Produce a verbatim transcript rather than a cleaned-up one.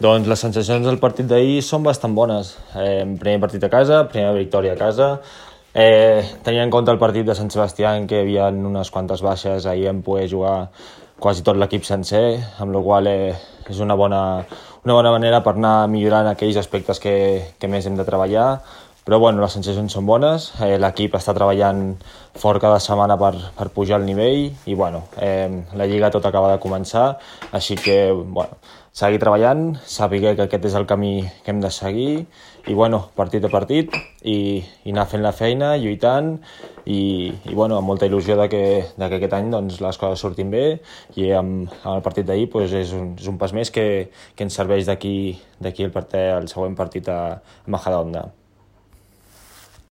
Doncs les sensacions del partit d'ahir són bastant bones. Eh, primer partit a casa, primera victòria a casa. Eh, tenint en compte el partit de Sant Sebastià, en què hi havia unes quantes baixes, ahir em poder jugar quasi tot l'equip sencer, amb la qual eh, és una bona, una bona manera per anar millorant aquells aspectes que, que més hem de treballar. Però bueno, les sensacions són bones, eh, l'equip està treballant fort cada setmana per, per pujar el nivell i bueno, eh, la Lliga tot acaba de començar, així que bueno, seguir treballant, saber que aquest és el camí que hem de seguir i bueno, partit a partit i, i anar fent la feina, lluitant i, i bueno, amb molta il·lusió de que, de que aquest any doncs, les coses surtin bé i amb, amb el partit d'ahir doncs, és, un, és un pas més que, que ens serveix d'aquí el, part, el següent partit a Majadahonda.